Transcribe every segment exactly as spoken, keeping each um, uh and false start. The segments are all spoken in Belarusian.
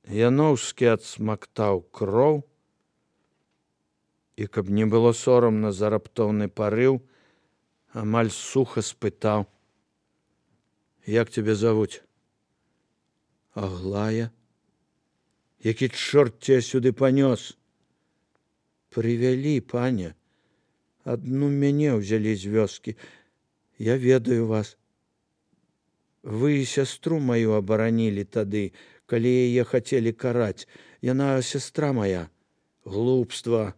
Яноўскі адсмактаў кроў і, каб не было сорамна за раптоўны парыў, амаль суха спытаў: «Як цябе завуць?» «Аглая». «Які чорт цябе сюды панёс?» «Прывялі, пане. Адну мяне ўзялі з вёскі. Я ведаю вас. Вы сястру маю абаранілі тады, калі яе хацелі караць. Яна сястра мая. Глупства.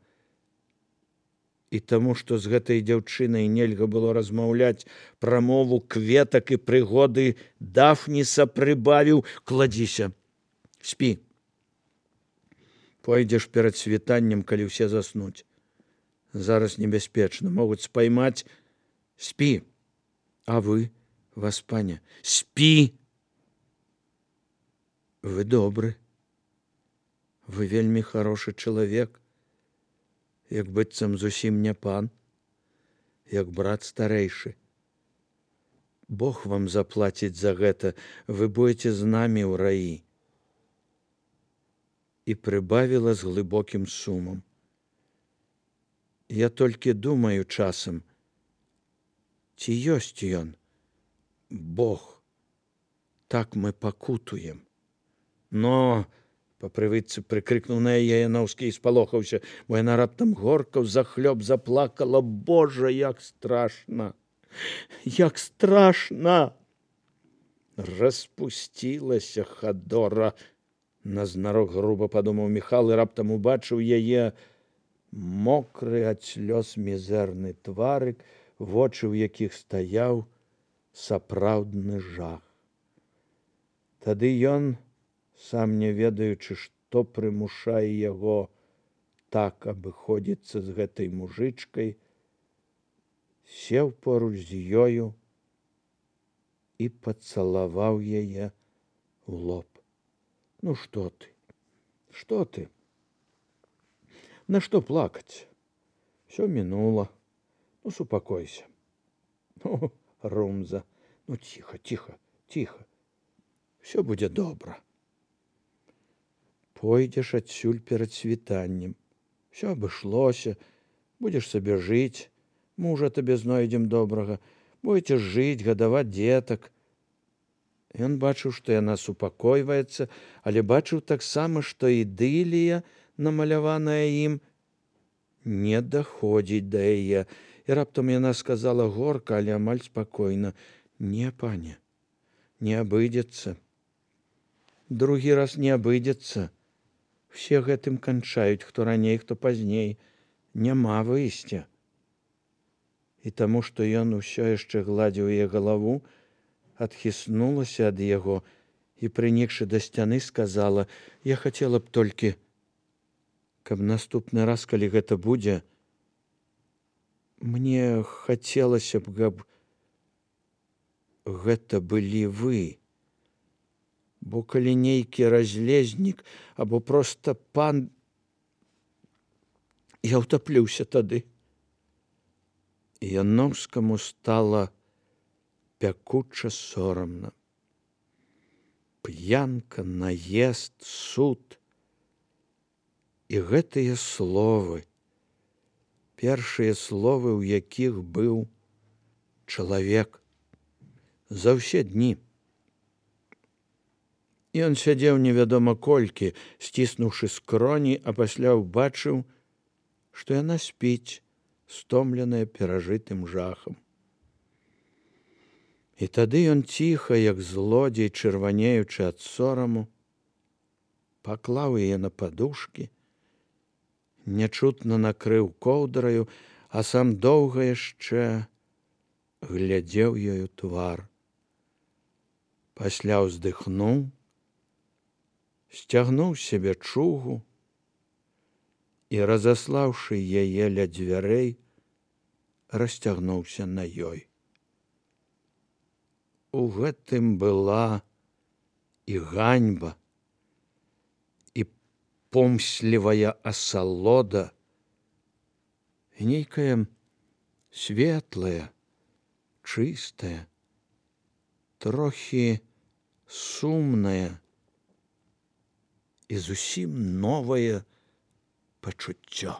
І таму, што з гэтай дзяўчынай нельга было размаўляць, прамову кветак і прыгоды Дафніса прыбавіў: «Кладзіся, спі. Пойдзеш перад світаннем, калі ўсе заснуць. Зараз небяспечна, могуць спаймаць. Спі. А вы, васпане, спі. Вы добры. Вы вельмі хорошы чалавек. Як быццам зусім не пан, як брат старэйшы. Бог вам заплаціць за гэта, вы будете з намі ў раі». І прыбавіла з глыбокім сумам: «Я толькі думаю часам, ці ёсць ён, Бог, так мы пакутуем». «Но!» — па прывычцы прыкрыкнуў на яе Яноўскі і спалохаўся, бо яна раптам горка ўзахлёб заплакала: «Божа, як страшна! Як страшна!» «Распусцілася хадора!» — назнарок груба падумаў Міхал і раптам убачыў яе мокры ад слёз мізэрны тварык, вочы ў якіх стаяў сапраўдны жах. Тады ён, сам не ведаючы, што прымушае яго так абыходзіцца з гэтай мужычкай, сеў поруч з ёю і пацалаваў яе ў лоб. «Ну што ты? Што ты? На што плакаць? Всё мінула. Ну, супакойся. Ну, Румза, ну ціха, ціха, ціха. Всё будзе добра. Пойдзеш адсюль перад світаннем. Всё абышлося, будзеш сабе жыць, мужа табе знойдзем добрага, будзеце жыць, гадаваць дзетак». Ён бачыў, што яна супакойваецца, але бачыў таксама, што ідылія, намаляваная ім, не даходзіць да яе. І раптам яна сказала горка, але амаль спакойна: «Не, пане, не абыдзецца. Другі раз не абыдзецца. Все гэтым канчаюць, хто раней, хто пазней. Няма выйсця». І таму, што ён усё яшчэ гладзіў яе галаву, адхіснулася ад яго і, прынікшы да сцяны, сказала: «Я хацела б толькі, каб наступны раз, калі гэта будзе, мне хацелася б, каб гэта былі вы. Бо калі нейкі разлезнік або проста пан, я ўтаплюся тады». Яноўскаму стала пякуча сорамна. П'янка, наезд, суд. І гэтыя словы, першыя словы, у якіх быў чалавек за ўсе дні. Ён сядзеў невядома колькі, сціснуўшы скроні, а пасля ўбачыў, што яна спіць, стомленая перажытым жахам. І тады ён ціха, як злодзей, чырванеючы ад сораму, паклаў яе на падушкі, нячутна накрыў коўдраю, а сам доўга яшчэ глядзеў ёю твар. Пасля ўздыхнуў, сцягнуў з сябе чугу і, разаслаўшы яе ля дзвярэй, расцягнуўся на ёй. У гэтым была і ганьба, і помслівая асалода, і нейкая светлая, чыстая, трохі сумная і зусім новае пачуццё.